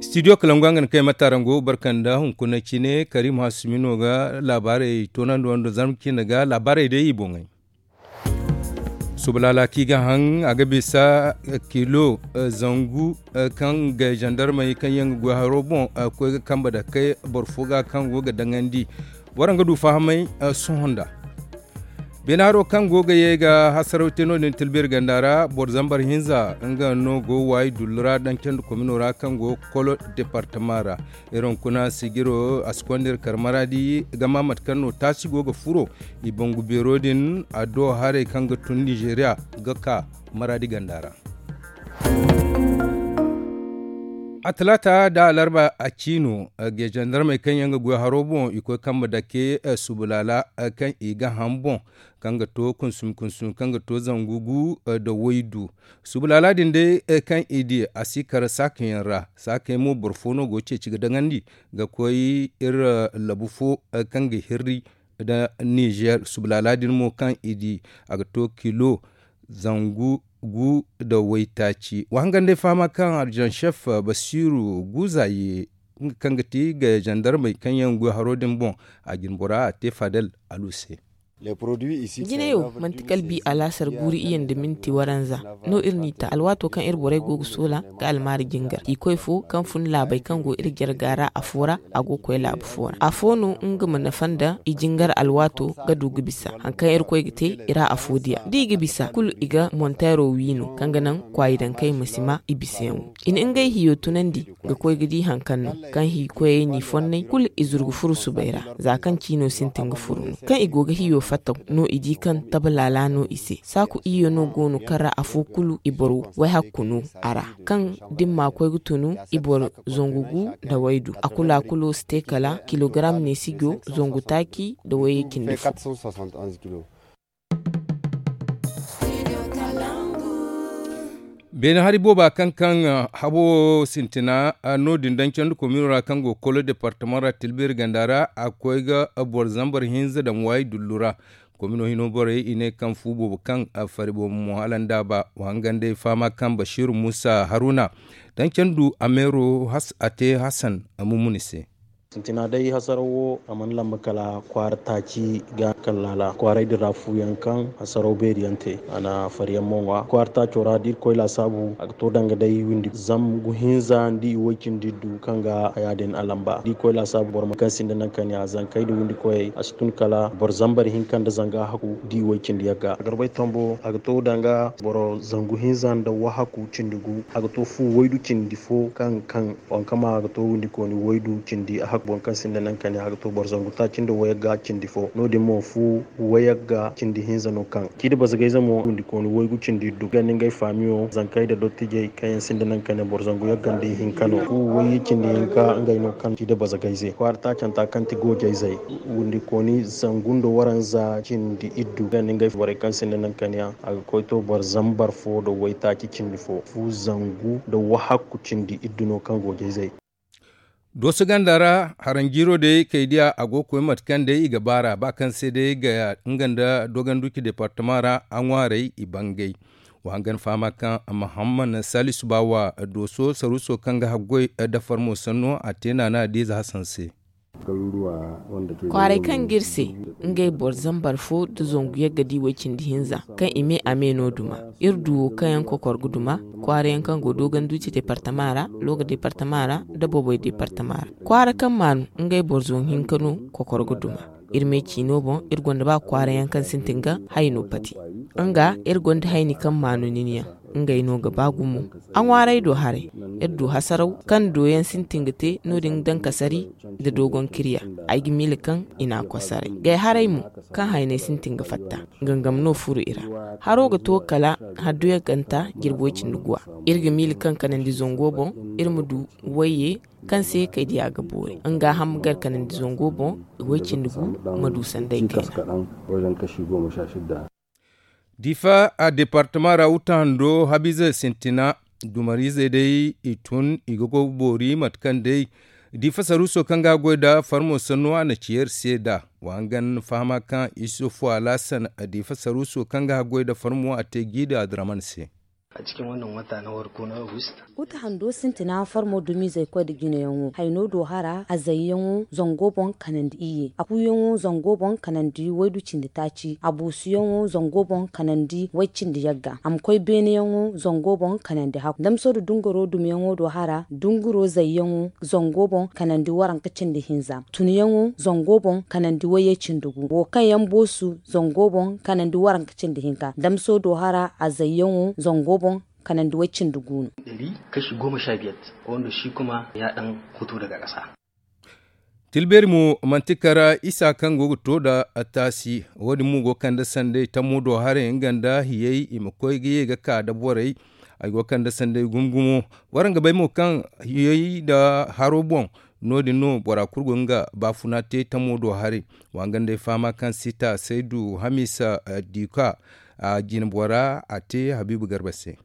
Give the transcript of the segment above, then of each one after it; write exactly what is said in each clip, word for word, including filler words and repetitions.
Studio kalangu a ga na kay matarango barkanda hunkuna cine karim hasumino ga laabaarey toonandi wando zarma cine ga laabaarey day i boŋey. Subalala kaŋ i ga haŋ a ga bisa kilo zangu kaŋ ga zandarmey kaŋ yaŋ ga goy haro boŋ koy ga kambe dake boro fo ga kaŋ go ga daŋandi. Boro nga du fahamay sohõ nda beene haro kaŋ go ga ye ga hasaraw te no- din tilbir ganda ra boro zambar hinza nga no go waayi dullu ra daŋ candi komino ra kaŋ go kolo departama ra. Iri hunkuna sijiro a si konda iri kar maradi gama mate kaŋ no taasi go ga furo i bangu beero din a do haray kaŋ ga tun nizeeriya ga ka maradi ganda ra. A talaata nda alarba a ciino, geejandarmey kaŋ yaŋ ga goy haro boŋ i koy kambe dake subulaala kaŋ i ga ham boŋ, kaŋ ga to kunsumi kunsumi kaŋ ga to zangu gu nda waydu. Subulaala din day kaŋ i di a si kar saakayaŋ ra. Saakay mo boro fo no go ga ceeci ga daŋandi ga koy iri labu fo kaŋ ga hirri nda nizeer subulaala din mo kaŋ i di a ga to kilo zangu gu nda waytaaci wa hangan day fahama kaŋ arjansef basiiru guuza ye nga kaŋ ga ti ga zandarmey kaŋ yaŋ goy haro din boŋ a jine bora a te fadal alu se. Jinay wo manti kala bi alaasar guuri iyye nda minti waranza no iri n'i ta alwaato kaŋ iri borey go ga soola ga almaari jingar i koy fo kaŋ fun laabey kaŋ go iri jarga ra afo ra a go ga koy laabu fo ra afo no nga ma nafa nda i jingar alwaato ga du ga bisa hari kaŋ iri koy ga te i ra afo diya da i ga bisa kulu i ga monteero wi no kaŋ ga naŋ kwaayi dankey ma si ma i bisayaŋo i na ngey hiyo tunandi ga koy ga di hari kaŋ no kaŋ hi koyey n'i fonnay kulu i zuru ga furu subay ra za kaŋ ciino sintin ga furu no kaŋ i go ga hiyo fattaw no i di kaŋ taba laala no i se saaku iyye no go no kaŋ ra afo kulu i boro wayhakku no a ra kaŋ da ni ma koy ga tunu i boro zangu gu nda waydu a kulu a kulo si te kala kilogaram neesijo zangu taaci nda wayye cindi fo. Beene hari booba kaŋ kaŋ habo sintina no- din daŋ candi komino ra kaŋ go kolo departama ra tilbiri ganda ra a koy ga boro zambar hinza daŋ waayi dullu ra. Komino hino borey i ne kaŋ fu boobo kaŋ fari boobo mo hala nda ba wa hangan day fama kaŋ basiiru muusa haruna daŋ candu a meero a te hasan a mumuni se. Sintina day hasaraw wo a mana lamba kala kwaara taaci ga kaŋ laala kwaaray din ra fu yaŋ kaŋ hasaraw beeri yaŋ te a na fari yaŋ mo ŋwa kwaara taaco ra da irkoy laasaabu a ga to danga day windi zangu hinza nda i way cindi iddu kaŋ ga haya din a lamba da irkoy laasaabu boro ma kaŋ sinda naŋ kaniya zankey nda windi koyey a si tun kala boro zambar hinka nda zanga hakku da i way cindi yagga a garbay tombo a ga to danga boro zangu hinza nda wahakku cindi gu a ga to fu waydu cindi fo kaŋ kaŋ wankama a ga to windi kooni waydu cindi a hakku boŋ kaŋ sinda naŋ kaniya a ga to boro zangu taaci nda wayagga cindi fo no- din mo fu wayagga cindi hinza no kaŋ ciida bazagayze mo windi kooni waygu cindi iddu ga ni ngey faamiyo zankey nda dottijey kaŋ yaŋ sinda naŋ kaniya boro zangu yagga nda ihinka no fu wayye cindi hinka ngey no kaŋ ciida bazagayze kwaara taacanta kaŋ ti goojayzey windi kooni zangu nda waranza cindi iddu ga ni ngey borey kaŋ sinda naŋ kaniya a ga koy to boro zambar fo nda waytaaci cindi fo fu zangu nda wahakku cindi iddu no kaŋ goojayzey. Dooso ganda ra haranjiiro day kay diya a go ga koy mate kaŋ day i ga baar'a ba kaŋ se day ga nga nda dogonduci departama ra a ŋwaarey i bangay. Wa hangan fahama kaŋ mahamman salisu baawa dooso saruuso kaŋ ga haggoy dafar mo sanno a te naana diize hasan se. Kwaaray kaŋ ga iri se ngey boro zambar fo nda zangu yagga di way cindi hinza kaŋ i me a me no duma iri du wo kaŋ yaŋ kokor ga duma kwaara yaŋ kaŋ go dooganduuci departama ra looga departama ra nda boboy departama ra kwaara kaŋ maanu ngey boro zangu hinka no kokor ga duma iri me ciino boŋ iri gonda ba kwaara yaŋ kaŋ sintin ga hayno pati nga iri gonda hayni kaŋ maanu nin yaŋ ngey no ga ba gumo a ŋwaaray do haray iri du hasaraw kaŋ dooyaŋ sintin ga te no- din daŋ kasari nda doogon kiriya ay ga miila kaŋ i n'a kosaray gay haray mo kaŋ haynay sintin ga fatta gangam no furo i ra haro ga to kala hadduyaŋ ganta jirbi way cindi guwa iri ga miila kaŋ kanandi zango boŋ iri ma du wayye kaŋ se kay diya ga boori nga ham gar kanandi zango boŋ way cindi gu ma du sanday kayna. Difa a departama ra wuta hando habiize sintina dumariizey day i tun i ga go ga boori mate kaŋ day Diifa saruuso kaŋ ga haggoy nda farmo sanno a na ci yer se nd'a. Wa hangan fahama kaŋ isufu alaasan diifa saruuso kaŋ ga haggoy nda farmo a te jiida adraman se. A cikin wannan wata na farko na august. Uta hando sintina farmo dumiizey koy nda jinayaŋo hayno do hara a zayyaŋo zango boŋ kanandi iyye a kuuyaŋo zango boŋ kanandi waydu cindi taaci a buusuyaŋo zango boŋ kanandi way cindi yagga a ma koy beeneyaŋo zango boŋ kanandi hakku damso nda dunguro dumiyaŋo do hara dunguro zayyaŋo zango boŋ kanandi waranka cindi hinza tunyaŋo zango boŋ kanandi wayye cindi gu wo kaŋ yaŋ boosu zango boŋ kanandi waranka cindi hinka damso do hara a zayyaŋo zango boŋ kanandi way cindi gu no. Kashi goma sha biyar wanda shi kuma ya dan fito daga kasa. Tilbeeri mo manti kara isa kaŋ go ga to nda taasi. Wo- din mo go ga kande sanday tammo do haray nga nda hiyey i ma koy ga ye ga ka nda borey. Ay go ga kande sanday gumo gumo. Waraŋ ga bay mo kaŋ hiyey nda haro boŋ no- din no bora kulu go nga baafuna te tammo do haray. Wa nga nda ay fahama kaŋ sita saydu hamiisa dika a jine bora a te habiibu garba se.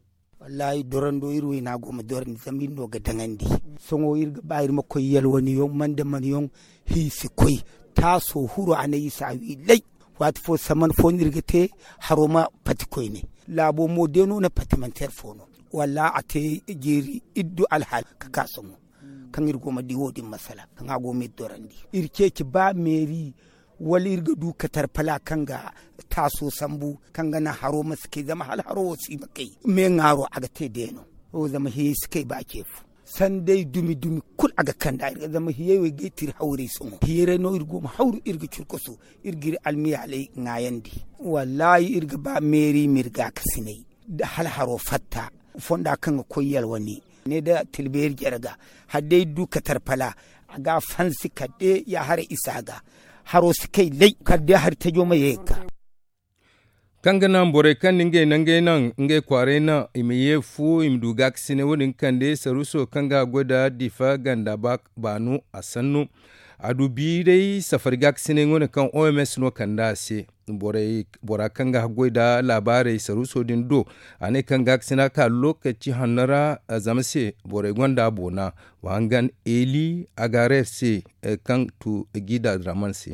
Wallaahi dorando iri wayna go ma dorandi zama iri no ga daŋandi. Sohõ iri ga ba iri ma koy yalwaniyaŋ manda mana yaŋ hi si koy. Taaso huru a na isa wi lay. Waati fo saman fo no iri ga te haro ma pati koyne. Laabo mo day no na pati manti yar fo no. Wallaahi a te jeeri iri du alhaali ga ka sohõ kaŋ iri go ma di wo- din masala kaŋ a go ma iri dorandi. Iri ceeci ba meeri wala iri ga du katarpala kaŋ ga taaso sambu kaŋ ga naŋ haro ma si kay zama hala haro wo si ma kay. Me ŋaaro a ga te deeno wo zama hiyey si kay ba ce fo. Sanday dumi dumi kulu a ga kand'a iri ga zama hiyey wo ay ga ay tira hawrey sohõ hiyey ra no iri go ma hawru iri ga curkasu iri ga iri almiyaaley ŋaayandi. Wallaahi iri ga ba meeri ma iri gaakasinay da hala haro fatta fonda kaŋ ga koy yalwani ne da tilbeeri jare ga hala day du katarpala a ga a fansi kala day ya haray isa ga haro si kay lay kala day hari tajo ma ye ga ka. Kaŋ ga naŋ borey kaŋ na ngey naŋ ngey naŋ ngey kwaaray naŋ i ma ye fu i ma du gaakasinay wo- din ga kande saruuso kaŋ ga a goy nda diifa ganda baanu a sannu. A du biiray safari gaakasinay nga wane kaŋ oms no kande a se. Bora kaŋ ga haggoy nda laabaarey saruuso din do a ne kaŋ gaakasina ka lokaci hanno ra zama se borey gonda a boona. Wa hangan eli a ga reer se kaŋ tu gida draman se.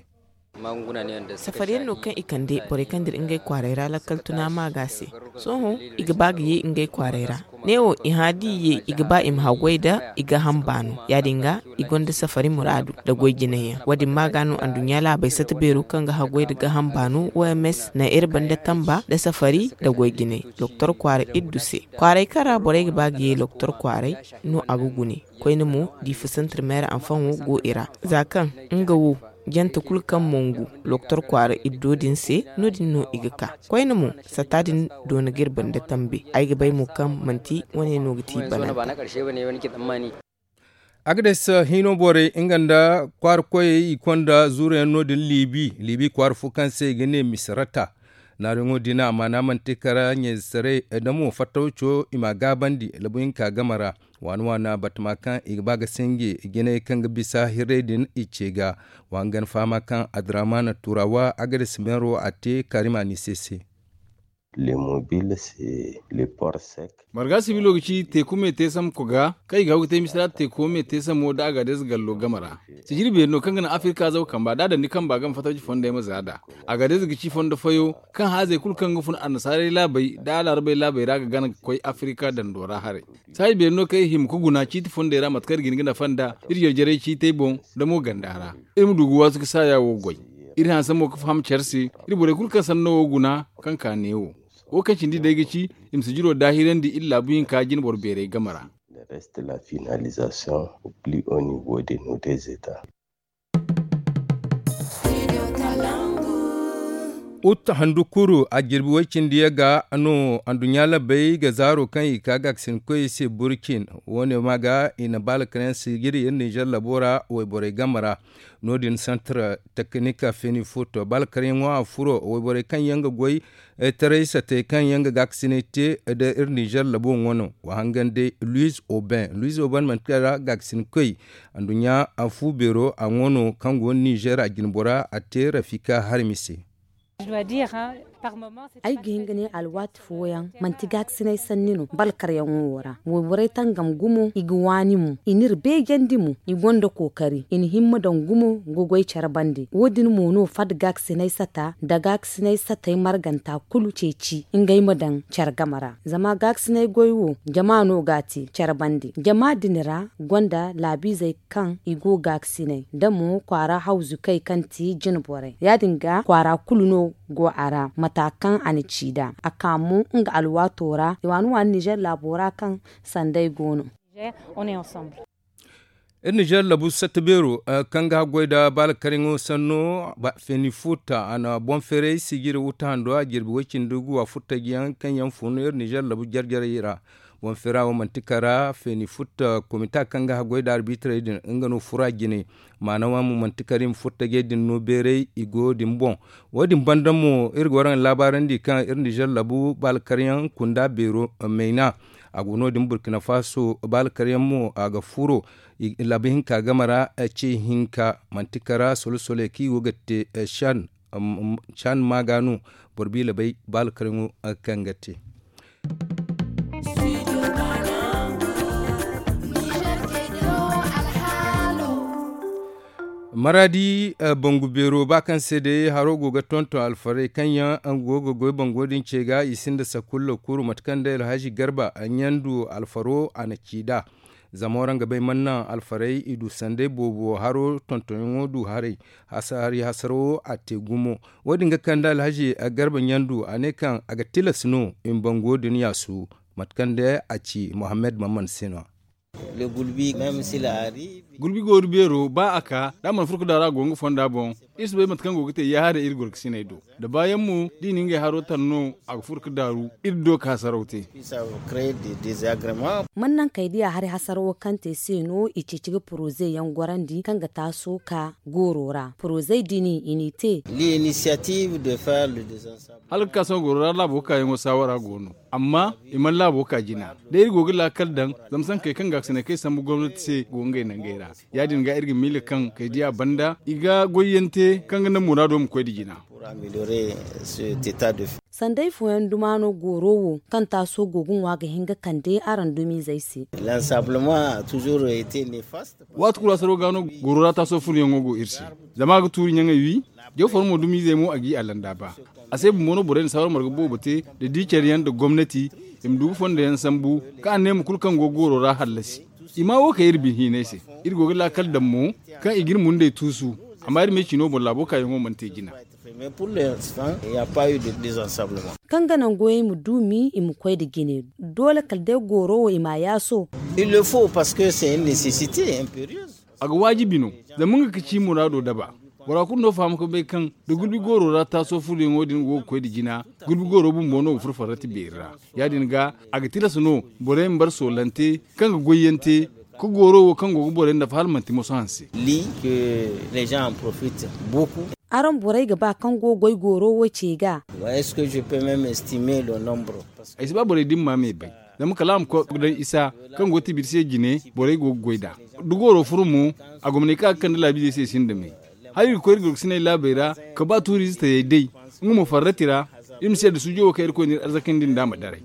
Safariyaŋ no kaŋ i kande borey kaŋ dira ngey kwaaray ra lakkal tuna maaga se. Sohõ i ga ba ga ye ngey kwaaray ra. Neewo i hã da i ye i ga ba i ma haggoy nda i ga hamba no ya- din ga i gonda safari muraadu nda goy jinay yaŋ wo- din maaga no anduɲɲa laabey sata beero kaŋ ga haggoy nda ga hamba no oms na iri banda tamba nda safari nda goy jinay doktor kwaara iddu se. Kwaaray kaŋ ra borey ga ba ga ye doktor kwaaray no a ga gune. Koyne mo diifa santir meera anfaŋo go i ra za kaŋ nga wo jante kulu kaŋ mongu doktor kwaara iddo din se no- din no i ga ka. Koyne mo sata din doona ga iri banda tambe. Ay ga bay mo kaŋ manti wane no ga ti bananta. Agades hino borey nga nda kwaara koyey i konda zuurayaŋ no- din liibi liibi kwaara fo kaŋ se i ga ne misarata. Naariyaŋo din a maana manti kara ɲayze saray da mo fattawco i m'a gaabandi labu hinka game ra. Waana waana batama kaŋ i ga ba ga sinji jinay kaŋ ga bisa hirray din i ce ga. Wa hangan fahama kaŋ adraman turawa agades meero a te karimani se se. Le mobile se le port sec. Marga sibilo ga ci teeku me teesam koga kaŋ i ga haw ga te misira teeko me teesamo nda agadez gallo game ra. Sijiri beeri no kaŋ ga naŋ afirka zaw kamba da a daŋ ni kamba game fattaci fondey ma za nd'a. Agadez ga ci fondo fayo kaŋ haazey kulu kaŋ ga fun annasaarey laabey nda alaarabey laabey ra ga gana ga koy afirka dando ra haray. Saaji beeri no kaŋ i hima ga guna ciiti fondey ra mate kaŋ iri ga hin ga nafa nd'a iri jarjarey ciitey boŋ nda mo ganda ra. Iri ma du ga waasu ga saaya wo goy. Iri hanse mo ga faham care se iri borey kulu kaŋ sanno wo guna kaŋ ka neewo. Wo kaŋ cindi day ga ci i ma sijiro daahirandi iri laabu hinka jinboro beerey game ra. Le reste la finalisation au plus haut niveau de nos deux etats. Ut handu kuru a jirbi way cindi yaŋ ga no anduɲɲa labbey ga zaaro kaŋ i ka gaakasinkoyey se burcin. Wo- ne ma ga i na baalakarayaŋ sijiri iri ninzeer labo ra wayborey game ra. No- din santar teknik feni foto baalakarayaŋo a furo wayborey kaŋ yaŋ ga goy taray satey kaŋ yaŋ ga gaakasinay te nda iri ninzeer labo ŋwa no. Wa hangan day luiz oben luiz oben manti kala gaakasinkoy anduɲɲa fu beero a ŋwa no kaŋ go ninzeer a jinbora a te rafika harmi se. Ay ga hin ga ne alwaati fooyaŋ manti gaakasinay sanni no balkaryaŋo wo ra. Wayborey tangam gumo i ga waani mo, i n'iri beejandi mo. I gonda kookari i na himma daŋ gumo ga goy care bande. Wo- din mo no fad gaakasinay sata nda gaakasinay satey marganta kulu ceeci ngey ma daŋ care game ra. Zama gaakasinay goy wo jama no g'a te care bande. Jama din ra gonda laabiizey kaŋ i go gaakasinay nda mo kwaara hawzukey kaŋ ti jine borey. Ya- din ga kwaara kulu no go a ra mata kaŋ a na ci nd'a. A ka mo nga alwaato ra i waani waani nizer laabo ra kaŋ sanday go no. Iri nizer labu satta beero kaŋ ga haggoy nda baalakariŋo sanno feeni futa a na boŋ feeray sijiri wuta hando a jirbi way-cindi guwa furtajiyaŋ kaŋ yaŋ fun iri nizer labu jare-jarey ra. Boŋ feera wo manti kara feeni futa komita kaŋ ga haggoy nda arbitrey din nga no fura jine. Maana wane mo manti kara i ma furtajey din no beeray i go din boŋ. Wo- din banda mo iri ga waraŋ laabaarandi kaŋ iri nizer labu baalakaryaŋ kunda beero mayna. A go no- din burkina faso baalakaryaŋ mo a ga furo labu hinka game ra. Ce hinka manti kara solo-solo kaŋ i go ga te. Can maaga no boro biila bay baalakaryaŋo kaŋ ga te. Maraadi bangu beero ba kaŋ se day haro go ga tonton alfarey kaŋ yaŋ go ga goy bango din ce ga i sinda sakulla kuru mate kaŋ day alhazi garba ɲandu alfaro a na ci nd'a. Zama waraŋ ga bay mana naŋ alfarey i du sanday boobo haro tontonyaŋo du haray. Hari hasaro a te gumo. Wo- din ga kande alhazi garba ɲandu a ne kaŋ a ga tilas no i ma bango din yaasu. Mate kaŋ day a ci mohammed mamman se no- ya. Gulbi gooru beero ba a ka da a mana furo ga daaru a go nga fonda boŋ. Iri si bay mate kaŋ go ga te yaaharay iri gorkasiney do da baayaŋ mo da i na ngey haro tan no a ga furo ga daaru iri do ga hasaraw te. Mana naŋ kay diya hari hasarawo kaŋ te se no i ceeci ga poroze yaŋ gorandi kaŋ ga taaso ka gooro ra porozey din i n'i te. Hala ga ka sohõ goro ra laabo kaayaŋo saawara go no. Amma i mana laabo ka jina da iri go ga laakal daŋ. Zama sankey kaŋ gaakasinay kaŋ i sambu gomnati se go ngey nangey ra. Ya- din ga iri ga miila kaŋ kay diya banda i ga goyyaŋ te kaŋ ga naŋ muraado ma koy nda jina. Sanday fooyaŋ duma no gooro wo kaŋ taaso go ga ŋwa ga hin ga kande araŋ dumiizey se. Waati kulu hasaro ga no gooro ra taaso furoyaŋo go iri se. Zama a ga tuuri ɲaŋey wi. Jaw foro mo dumiizey mo a g'i a landa ba. A se bumbo no borey na saawara marga boobo te nda di care yaŋ nda gomnati i ma du ga fondo yaŋ sambu kaŋ anneema kulu kaŋ go gooro ra hallasi. I ma wo kay iri binhiinay se. Iri go ga laakal daŋ mo kaŋ i ga iri mundey tuusu. Amma iri me cino boŋ laabo kaayaŋo mana te jina. Kaŋ ga naŋ goyey ma duumi i ma koy nda jine. Doole kala day gooro wo i m'a yaaso. A ga waajibi no. Zama nga ga ci muraado daba. Bora kulu no faham ga bay kaŋ da gulbi gooro ra taaso furoyaŋo din go ga koy nda jina. Gulbi gooro bumbo no ga furo farrati beeri ra. Ya- din ga a ga tilas no borey ma bar soolante kaŋ ga goyyaŋ te ka gooro wo kaŋ go ga borey nafa hala manti moso hanse. Araŋ borey ga ba kaŋ go ga goy gooro wo ce ga? Ay si ba borey da ni ma me bay. Zama kala a ma koy ga daŋ isa kaŋ go ga tibiri se jine borey go ga goy nd'a. Da gooro furo mo a gomney kaŋ a ga kande laabiizey se i sinda me. Hala iri ga koy iri gorkasiney laabey ra ka ba tuuriize tayey day. Nga mo farrati ra iri ma si yadda suujo wo kaŋ irkoy na iri arzakandi nd'a ma daray.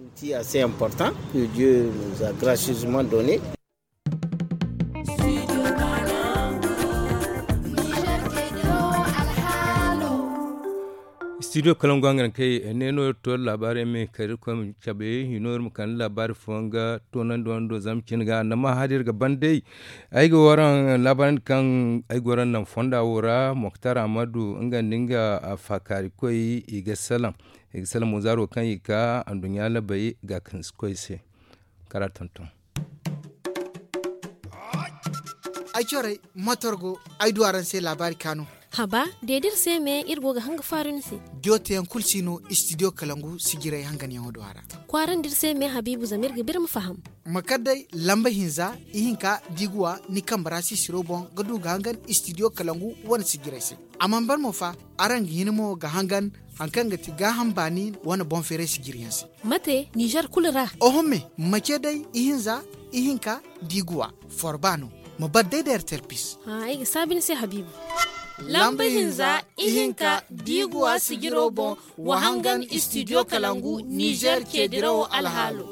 Studio kalangu hangan kay ne no iri to laabaari yaŋ me kala iri koy ma cabe hino iri ma kande laabaari fooyaŋ ga toonandi wando zama cine ga annama hari iri ga ban day. Ay ga waraŋ laabaari kaŋ ay ga waraŋ naŋ fonda wo ra moktar ahmadu nga nda nga faakaari koy i ga salaŋ. I ga salaŋ mo zaaro kaŋ i ga ka anduɲɲa labay ga kansi koy se. Kala tonton. Ay corey motor go ay du araŋ se laabaari kaanu. Haba deedi iri se me iri go ga hanga faaru ni se. Diyo teyaŋ kulu si no istidiyo kalangu sijiray hanganyaŋo do a ra. Kwaarandi iri se me habiibu zama iri ga biri ma faham. Ma kar day lamba hinza ihinka da i ga wa ni kambe ra sisiro boŋ ga du ga hangan istidiyo kalangu wane sijiray se. A mana ban mo fa araŋ ga hin mo ga hangan hari kaŋ ga ti gaaham baani wane boŋ feeray sijiryaŋ se. Mate nizer kulu ra? Oho me mace day ihinza ihinka da i ga wa forba no. Ma bar day da ertel pis. Ay ga saabi ni se habiibu. Lamba hinza, ihinka, biiguwa sijiro boŋ, wa hangan istidiyo kalangu nizer ceedirawo alhaalo.